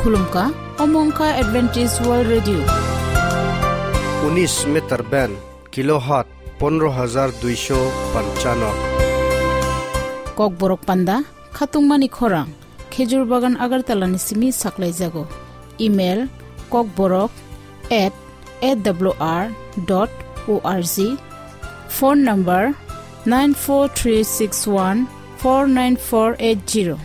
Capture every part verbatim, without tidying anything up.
Khulumkha, omo wngkha Adventist World Radio. Unis meter band, kilohertz pondro hajar duisho panchano. Kokborok panda, khatungmani khorang, Khejur Bagan Agartala ni simi saklaijago. Email, kokborok at A W R dot O R G. Phone number, nine four three six one four nine four eight zero.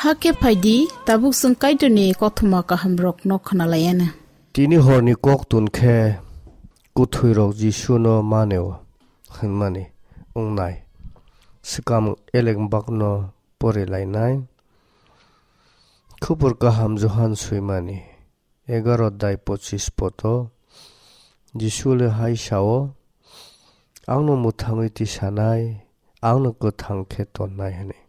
Hakhe phaidi, tabuk chwng Kaitorni kothoma kahamrokno khwnalaianw. Tini horni koktun khe kwthwirok Jisuno maneo hwnmani wngnai. Swkang eleng bakno porilainai. Khubur kaham Johan swimani egaro dai pochis poto Jisu le hai sao, "Angno mwthangwi tisanai, angno kwthang khe tonnai," hwnwi.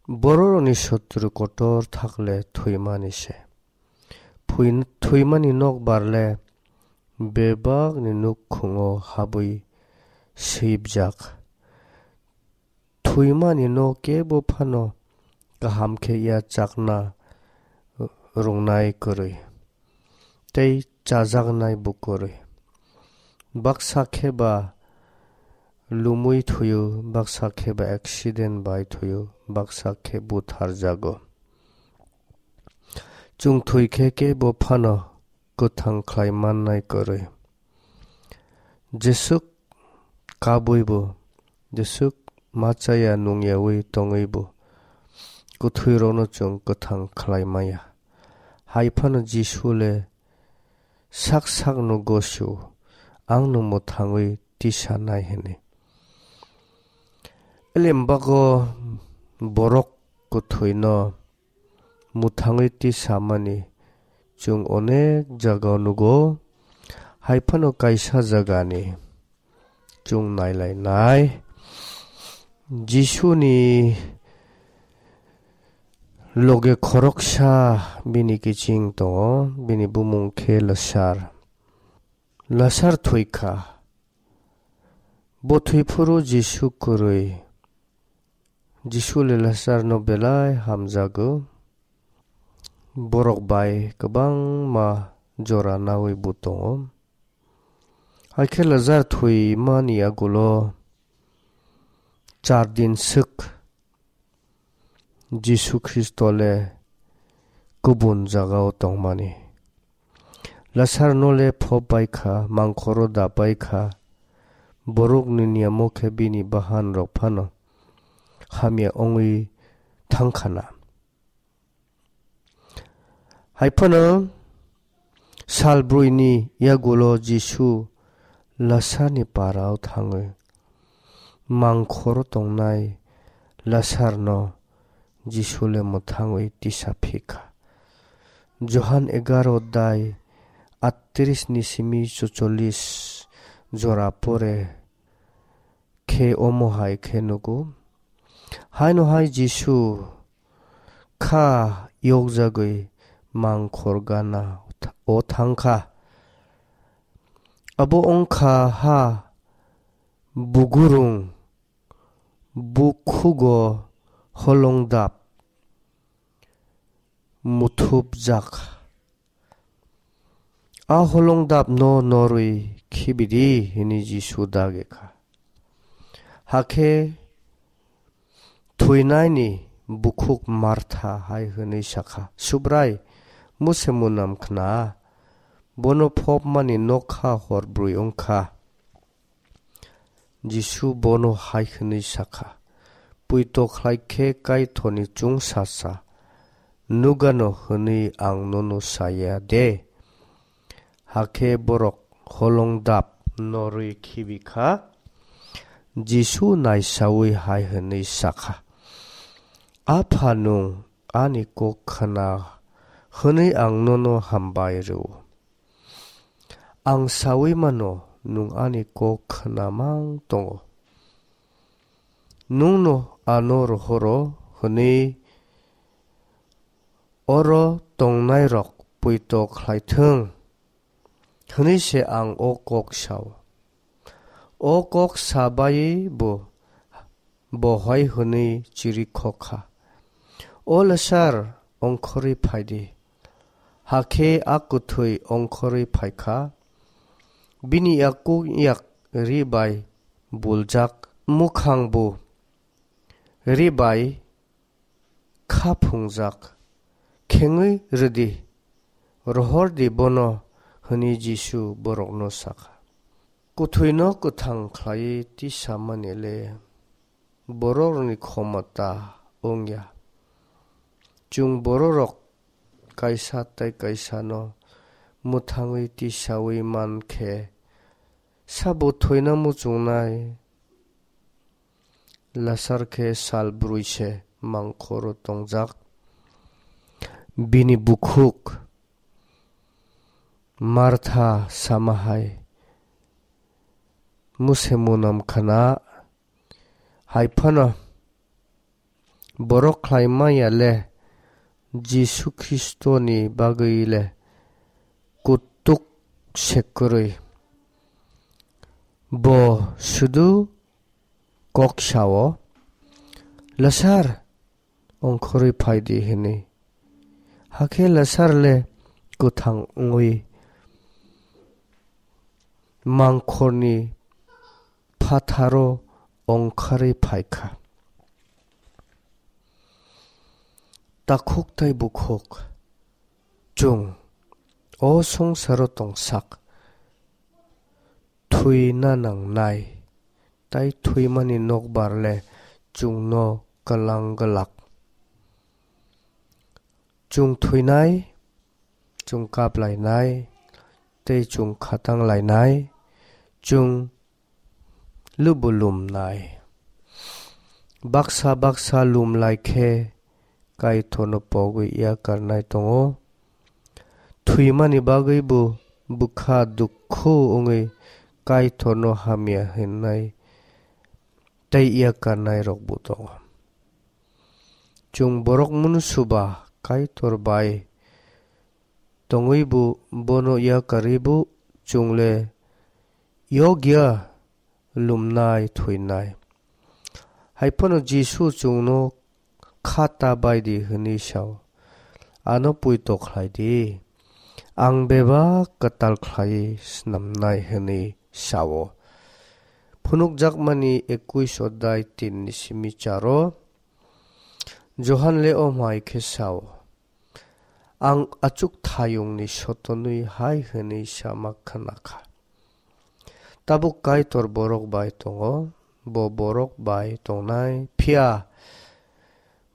Bororokni sotru kotor thakle thwimani se. Phui-, thwimani nokbar le bebakni nukhungo habwi sibjak. Thwimani no kebo phano kaham khe ya chakna rwngnai kwrwi, tei chajaknai bo kwrwi. Baksa khe ba lumwi thwio, baksa khe ba accident bai thwio, baksa khe butharjago. Chwng thwi khe kebo phano kwthang khlai mannai kwrwi. Jeswk kabwibo, jeswk ma chaya nungyawi tongwibo, kwthwirokno chwng kwthang khlai maya. Hai phano Jisu le sak sakno gosio, "Angno mwthangwi tisanai," hwnwi. Elem bago borok kwthwino mwthangwi tisamani chwng onek jagao nugo, hai phano kaisa jagani chwng nailainai. Jisuni loge khoroksa bini kiching tongo, bini bumung khe Lasar. Lasar thwikha. Bo thwiphuru Jisu kwrwi. Jisu le Lasarno belai hamjago. borok bai kwbangma jora naui bo tongo. Hakhe Lazar thwimani agulo char din swk Jisu Khristo le kubun jagao tongmani. Lazar no le phop bai kha, mangkhoro da bai kha, borok ni niyamo khe bini bahan rok phano hamya wngwi thang kha na. Hai phano sal brwi ni yagulo Jisu Lazar ni parao thangwi mangkhoro tongnai Lazar no Jisu le mwthangwi tisa phi kha. Johan egaro dai atris ni simi chocholis jora pore khe omo hai khe nugo. Haino hai Jisu kha yokjagwi mangkhor gana o thang kha. Abo wng kha ha bugurung bukhugo holongdap muthupjak. A holongdap no norwi khibidi, hwnwi Jisu dagi kha. Hakhe thwinaini bukhuk Martha hai hwnwi sakha, "Subrai, muse munam khna, bono phopmani nokha hor brwi wngkha." Jisu bono hai hwnwi sakha, "Puito khlai khe Kaitorni chwngsacha nugano hwnwi ang nono saya de?" Hakhe borok holongdap norwi khibi kha. Jisu naisaui hai hwnwi sakha, "Apha, nwng ani kok khna hwnwi ang nono hambai rw-o. Ang saui mano, nwng ani kok khna mang tongo. Nwngno ano rohoro hwnwi oro tongnairok puito khlai thung," hwnwi se ang o kok sao. O kok sa baiwi bo bohai hwnwi chirikhok kha, "O Lasar, ongkhorwi phai di." Hakhe a kwthwi ongkhorwi phai kha. Bini yakung yak ri bai buljak, mukhang bo ri bai kha phungjak. "Khengwi rw di, rohor di bono," hwnwi Jisu borokno sakha. Kwthwino kwthang khlaiwi tisamani le bororokni khomota wng ya. Chwng bororok kaisa tei kaisano mwthangwi tisaui man khe, sabo thwina muchungnai? Lasar khe sal brwi se mangkhoro tongjak. Bini bukhuk Martha sama hai, "Muse munam khna, hai phano borok khlai manya le Jisu Khristoni bagwi le kutuk se kwrwi. Bo sudu kok sao, 'Lasar, ongkhorwi phai di,' hwnwi. Hakhe Lasar le kwthang wngwi mangkhorni phatharo ongkharwi phai kha." Takhuk tei bukhuk, chwng o songsaro tongsak thwina nangnai, tei thwimani nokbar le chwngno kwlang glak. Chwng thwinai, chwng kap lainai, tei chwng khatang lainai, chwng lubu lumnai. Baksa baksa lum lai khe Kaitorno pogwi yakarnai tongo. Thwimani bagwi bo bwkha dukhu wngwi Kaitorno hamya hwnnai tei yakarnai rokbo tongo. Chwng borok munusu ba Kaitor bai tongwi bo bono yakarwi bo chwng le yokya lumnai thwinai. Hai phano Jisu chwngno kha ta bai di hwnwi sao. ano poito khlai di. Ang bebak kwtal khlaiwi snamnai," hwnwi sa-o. Phunukjakmani ekuis odai tin ni simi charo Johan le omo hai khe sa-o, "Ang achuk thayungni sotonwi hai hwnwi sama khna kha, 'Tabuk Kaitor borok bai tongo, bo borok bai tongnai, phiya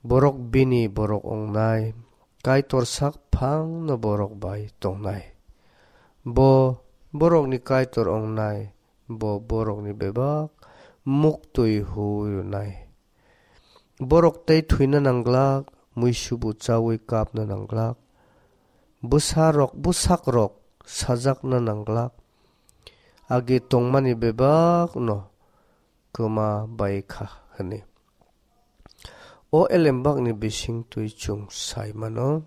borok bini borok wngnai, Kaitor sak phangno borok bai tongnai. Bo borokni Kaitor wngnai, bo borokni bebak muktwi huwi rwnai. Borok tei thwina nangglak, muisubu chaui kapna nangglak, bwsarok, bwsakrok sajakna nangglak, agi tongmani bebakno kwma bai kha," hwnwi. O elembakni bisingtwi chwng sai mano,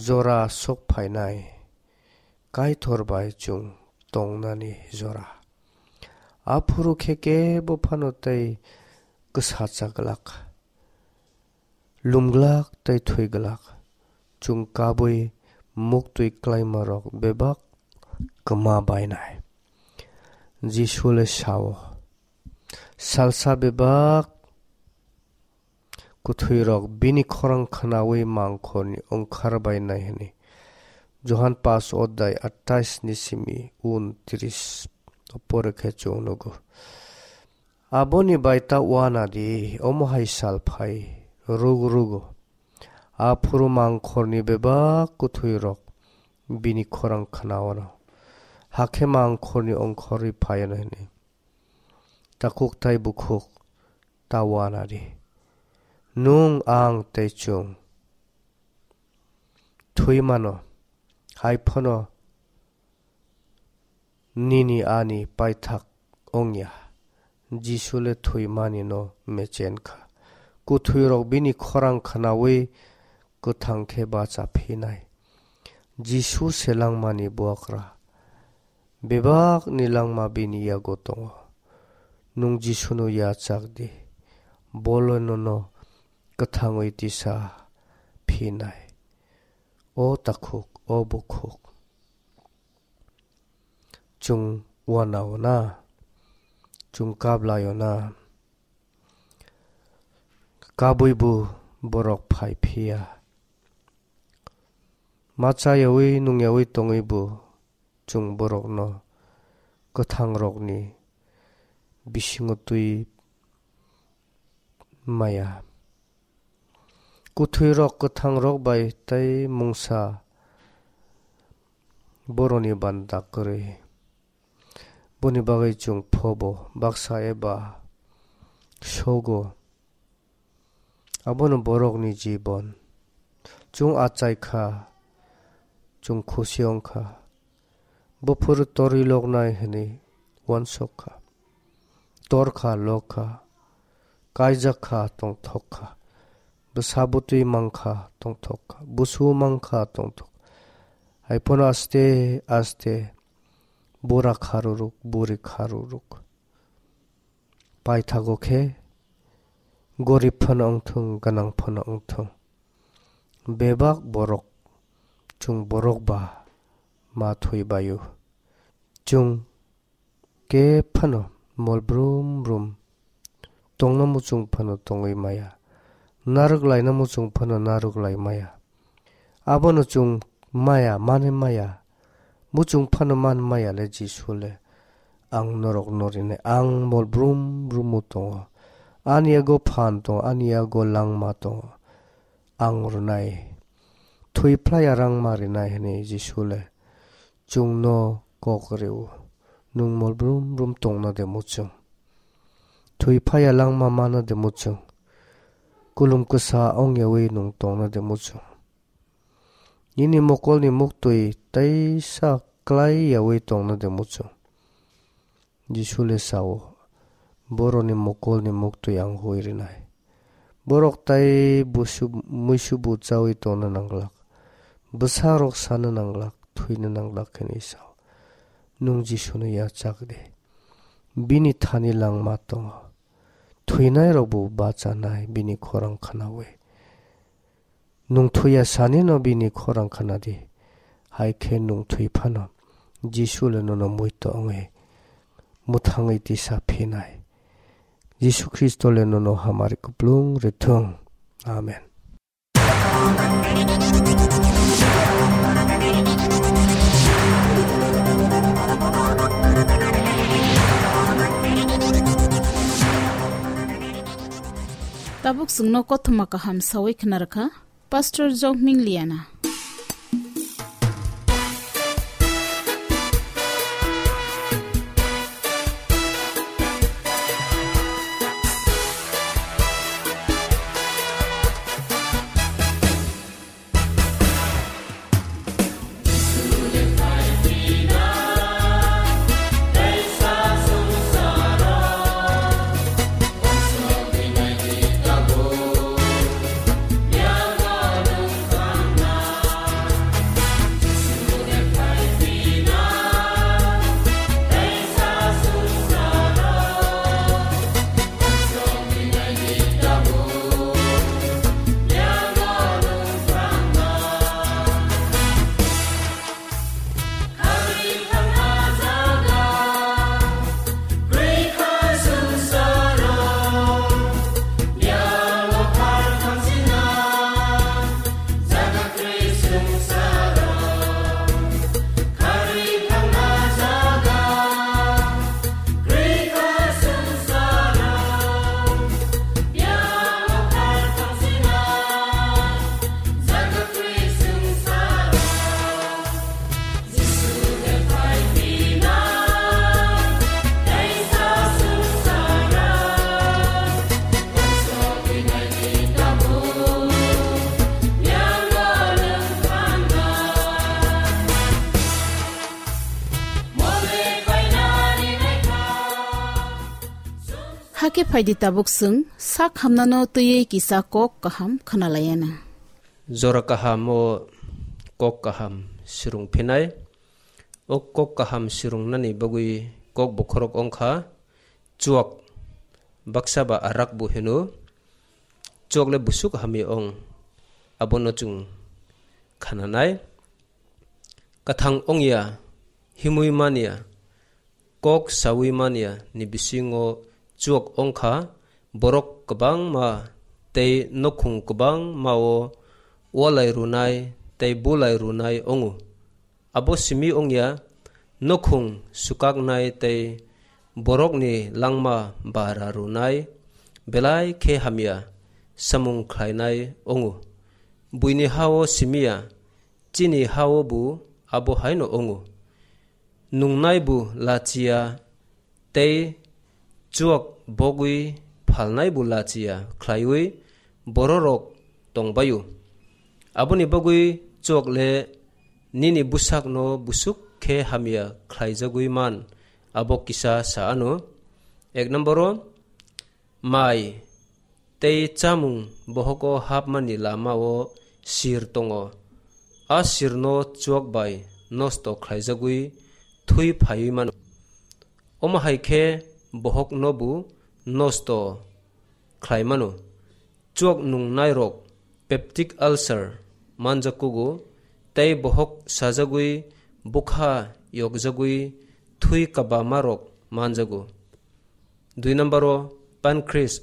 jora sok phainai Kaitor bai chwng tongnani jora. Aphuru khe kebo phano tei kwsacha glak, lumglak tei thwi glak. Chwng kabui muktwi klaimarok bebak kwma bainai. Jisu le sa-o, "Salsa bebak kwthwirok bini khorang khnaui mangkhorni ongkhar bainai," hwnwi. Johan pas odai atais ni simi untris o pore khe chwng nugo. Aboni bai ta uana di, omo hai sal phai rwgo rwgo. Aphuru mangkhorni bebak kwthwirok bini khorang khnaono, hakhe mangkhorni ongkhorwi phaiyano hwnwi. Takhuk tai bukhuk ta uana di. Nwng, ang tei chwng thwi mano, hai phano nini ani paithak wngya. Jisu le thwimani no mechen kha. Kwthwirok bini khorang khnaui kwthang khe bacha phinai. Jisu se langmani buakra. Bebak ni langma bini yago tongo. Nwng Jisu no yachak di. Bo le nono kwthangwi tisa phinai. O takhuk, o bukhuk. Chwng uanao na, chwng kablai-o na, kabui bo borok phai phiya. Ma chayaui nungyaui tongwi bo chwng borokno kwthangrokni bisingo twi maya. Kwthwirok kwthangrok bai tei mungsa boroni banda kwrwi. Boni bagwi chwng phobo baksa eba sogo. Abono borokni jibon. Chwng achai kha, chwng khusi wng kha. Buphuru torwi loknai hwnwi uansuk kha. Tor kha, lok kha, kaijak kha, tongthok kha. Bwsa bwtwi mang kha, tongthok kha. Busu mang kha, tongthok. Haiphano aste aste bura kharuruk, buri kharuruk. Paithago khe gorib phano wngthung, gwnang phano wngthung, bebak borok chwng borok ba ma thwi bai-o. Chwng khe phano mol brum brum tongna muchung phano tongwi maya, narwk laina muchung phano narwk lai maya. Abono chwng maya, mani maya, muchung phano man maya le Jisu le. Ang norok no rinai, ang mol brum brum o tongo. Ani yago phan tongo, ani yago langma tongo. Ang rwnai. Thwi phlai ya rang ma rinai hwnwi Jisu le chwng no kok rw-o. Nwng mol brum brum tongna de muchung? Thwi phai ya langma mana de muchung? Kulum kwsa wng yaui nwng tongna de muchung? Nini mokolni muktwi teisa klai yaui tongna de muchung? Jisu le sao, boroni mokolni muktwi ang hui rinai. Borok tai busu-, muisubu chaui tongna nanglak, bwsarok sana nanglak, thwina nanglak hwnwi sao. Nwng Jisuno yachak di. Bini thani langma tongo. Thwinairokbo bachanai bini khorang khnaui. Nwng thwiya sanino bini khorang khnadi. Hai khe nwng thwi phano Jisu le nono muito wngwi mwthangwi tisa phinai. Jisu Khristo le nono hamari kuplung rwthung. Amen. Tabuk chwngno kothoma kaham sawi khna rwkha Pastor Jokming Liana. Hakhe phaidi tabuk chwng sak hamnano twiwi kisa kok kaham khwnalaiyana. Jora kaham o kok kaham swrwng phinai. O kok kaham swrwngnani bagwi kok bokhorok wngkha chuak, baksa ba arak bo hino. Chuak le busuk hamya wng, abono chwng khananai. Kathang wngya, himwi manya, kok sawi manya ni bisingo chuak wngkha borok kwbangma tei nokhung kwbangmao walai rwnai tei bulai rwnai wngo. Abo simi wngya, nokhung swkaknai tei borokni langma bara rwnai belai khe hamya samung khlainai wngo. Buini ha-o simi ya, chini ha-o bo abo haino wngo. Nungnai bo lachiya tei chuak bogwi phalnai bo lachiya khlaiwi bororok tongbaio. Aboni bagwi chuak le nini bwsakno busuk khe hamya khlaijagwi man, abo kisa sa ano. Ek nomboro, mai tei chamung bohogo hapmani lamao sir tongo. A sirno chuak bai nosto khlaijagwi thwi phaiwi mano. Omo hai khe bohokno bo nosto khlai mano. Chuak nungnairok peptic ulcer manjak kugo tei bohok sajagwi bwkha yokjagwi thwi kabamarok manjago. Dui nomboro pancreas.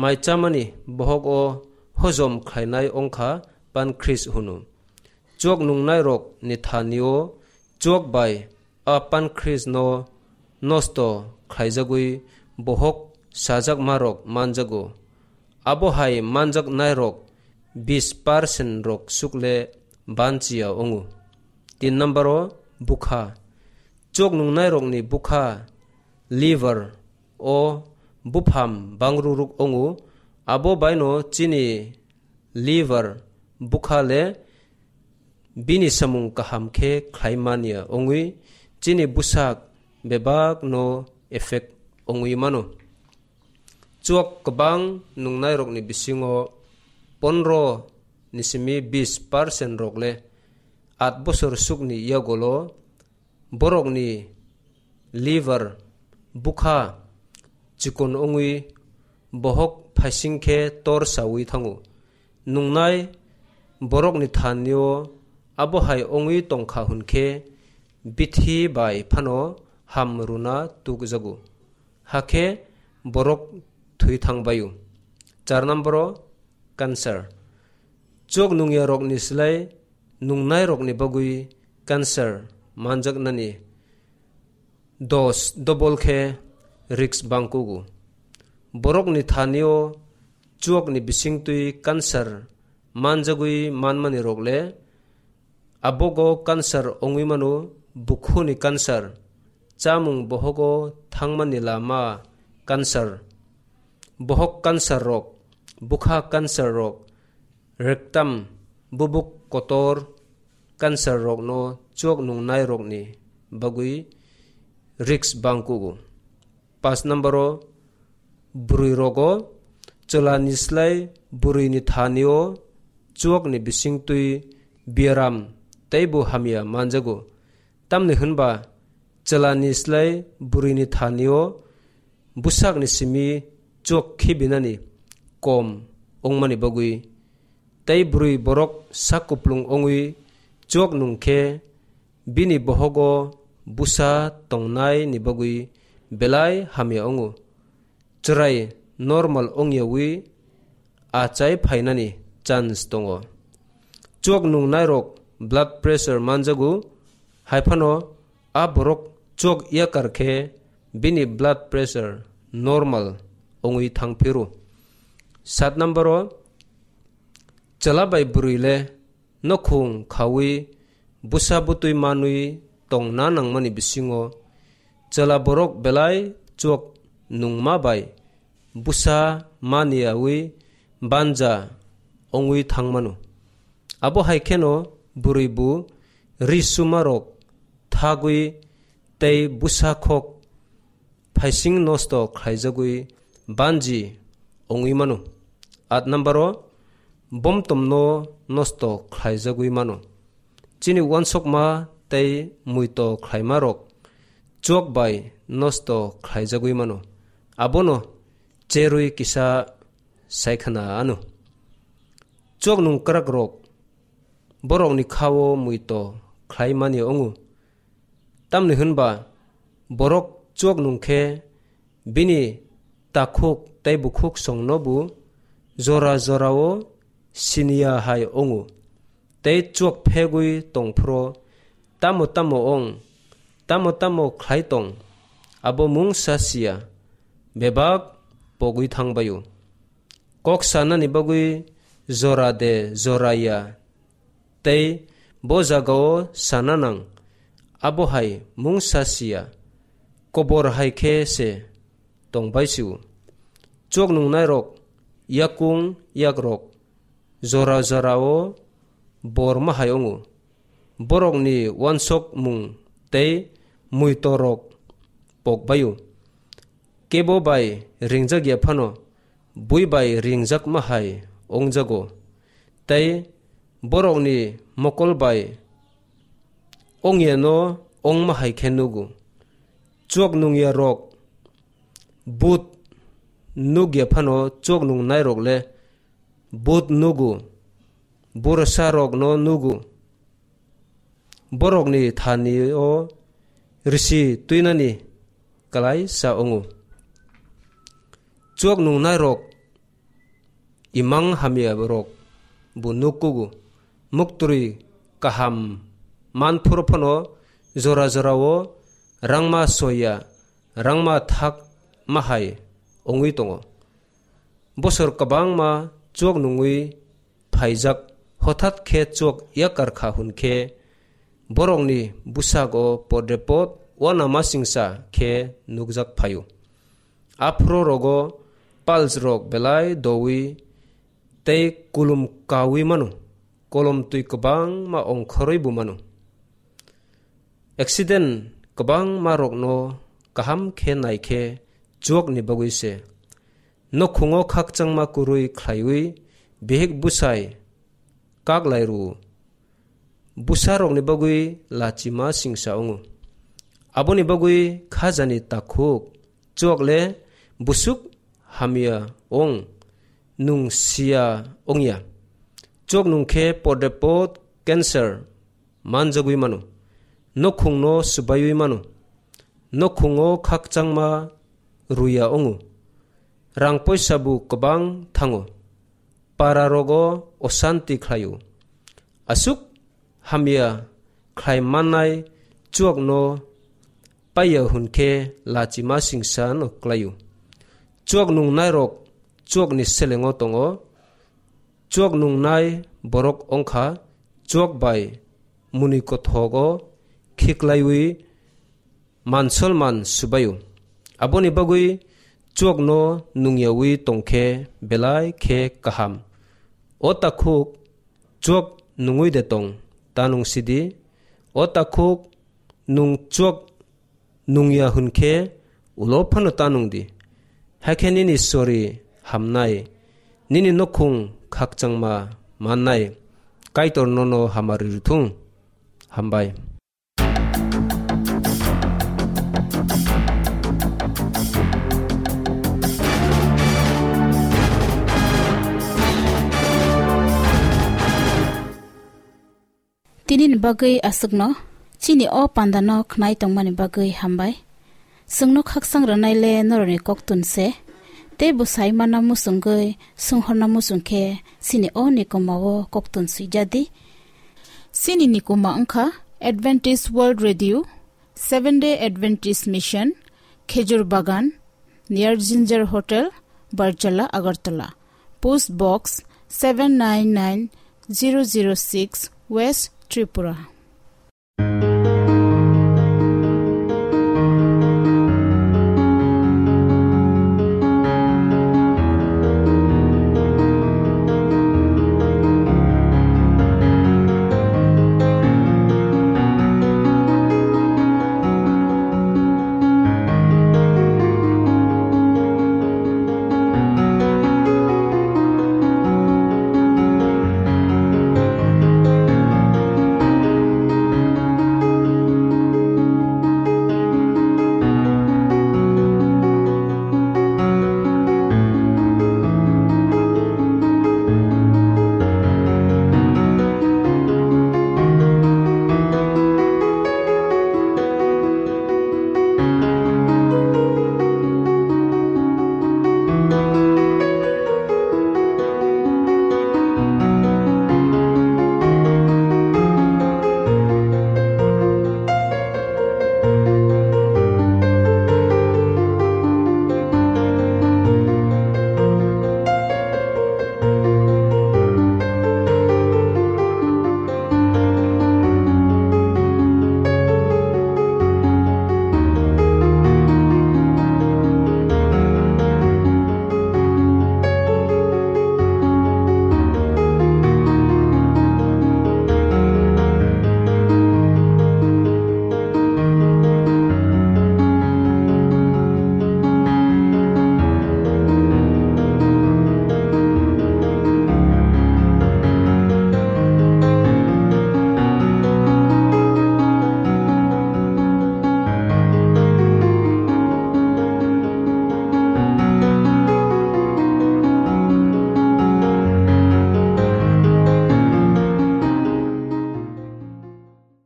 Mai chamani bohok o hojom khlainai wngkha pancreas hwno. Chuak nungnairok ni thani o chuak bai a pancreas no nosto khlaijagwi bohok sajakmarok manjago. Abo hai manjaknairok bis percent rok sukle banchiya wngo. Tin nomboro bwkha. Chuak nungnairokni bwkha liver o bupham bangruruk wngo, abo baino chini liver bwkha le bini samung kaham khe khlai manya wngwi chini bwsak bebakno effect wngwi mano. Chuak kwbang nungnairokni bisingo pondro ni simi bis percent rok le at bosor sukni yagolo borokni liver bwkha chikon wngwi bohok phaising khe tor sawi thango. Nungnai Borokni thani-o abo hai wngwi tong kha hwn khe bithi bai phano ham rwna tukjago, hakhe borok thwi thang bai-o. Char number-o cancer. Chuak nungyarokni slai nungnairokni bagwi cancer manjaknani dos double khe risk bang kugo. Borokni thani-o chuakni bisingtwi cancer manjagwi manmani rok le, abogo cancer wngwi mano, bukhuni cancer, chamung bohogo thangmani lama cancer, bohok cancer rok, bwkha cancer rok, rectum, bubuk kotor cancer rokno chuak nungnairokni bagwi risk bang kugo. Paanch number-o bwrwi rogo chwlani slai bwrwini thani-o chuakni bisingtwi biaram teibo hamya manjago. Tamni hwnba chwlani slai bwrwini thani-o bwsakni simi chuak khibinani kom wngmani bagwi. Tei bwrwi borok sak kuplung wngwi chuak nung khe bini bohogo bwsa tongnaini bagwi belai hamya wngo. Chwrai normal wngyawi achai phainani chance tongo. Chuak nungnairok blood pressure manjago, hai phano a borok chuak yakar khe bini blood pressure normal wngwi thang phiro. Sat number-o chwla bai bwrwi le nokhung khaui bwsa bwtwi manwi tongna nangmani bisingo chwla borok belai chuak nungma bai bwsa maniyaui banja wngwi thangmano. Abo hai kheno bwrwi bu ri sumarok thagwi tei bwsa khok phaising nosto khlaijagwi banji wngwi mano. At number-o bomtomno nosto khlaijagwi mano. Chini uansukma tei muito khlaimarok chuak bai nosto khlaijagwi mano. Abono cherwi kisa saikhwna ano. Chuak nungkrakrok borokni kha-o muito khlaimani wngo. Tamni hwnba borok chuak nung khe bini takhuk tei bukhuk songnobo jora jorao siniya hai wngo. Tei chuak phegwi tongphro tamo tamo ong, tamo tamo khlai tong, abo mungsa siya, bebak pogwi thang bai-o. Kok sanani bagwi jora de jora ya tei bo jagao sana nang, abo hai mungsa siya, kobor hai khe se tong bai si-o. Chuak nungnairok yakung yakrok jora jorao bor ma hai wngo. Borokni uansukmung tei muitorok pok bai-o. Kebo bai ringjak ya phano bui bai ringjak ma hai wngjago, tei borokni mokol bai ong yano ong ma hai khe nugo. Chuak nung yarok but nuk ya phano chuak nungnairok le but nugo, bursa rokno nugo. Borokni thani-o risi twinani kwlai sa wngo. Chuak nungnairok imang hamya rok bo nuk kugo. Muktwi kaham man phuru phano jora jorao rangma soya, rangma thak ma hai wngwi tongo. Bosor kwbangma chuak nungwi phaijak, hothat khe chuak yakar kha hwn khe borokni bwsago podrepot uanamasingcha khe nukjak phaio. Aphuru rogo pals rok belai dowi tei kulum kawi mano, kolom twi kwbangma ongkhorwi bo mano. Accident kwbangma rokno kaham khe nai khe chuakni bagwi se. Nokhungo khakchangma kwrwi khlaiwi bihik bwsai kak lai rwo. Bwsarokni bagwi lachima singsa wngo. Aboni bagwi khajani takhuk chuak le busuk hamya ong, nung siya ongya. Chuak nung khe podepot cancer manjagwi mano. Nokhungno swbaiwi mano. Nokhungo khakchangma ruya wngo. Rang poisa bo kwbang thango. Para rogo osanti khlaio. Aswk hamya khlai mannai chuakno paiya hwn khe lachima singsa no klaio. Chuak nungnairok chuakni selengo tongo. Chuak nungnai borok wngkha chuak bai mwnwi kothogo khiklaiwi mansolman swbaio. Aboni bagwi chuakno nungyawi tongkhe belai khe kaham. O takhuk chuak nungwi de tong, ta nung sidi. O takhuk nung chuak nungya hwn khe ulo phano ta nung di. Hakhe nini sori hamnai, nini nokhung khakchangma mannai. Kaitor nono hamari rwthung. Hambai. Tini ni bagwi aswkno, chini o panda no khnai tongmani bagwi hambai. Chwngno khakchang rwnai le norokni koktun se, tei bwsai mana muchungwi swnghorna muchung khe chini o nikoma o koktun swijadi. Chini nikoma wngkha Adventist World Radio, Seventh Day Adventist Mission, Khejur Bagan, near Ginger Hotel, Barjala, Agartala. Post Box seven nine nine zero zero six, West Tripura.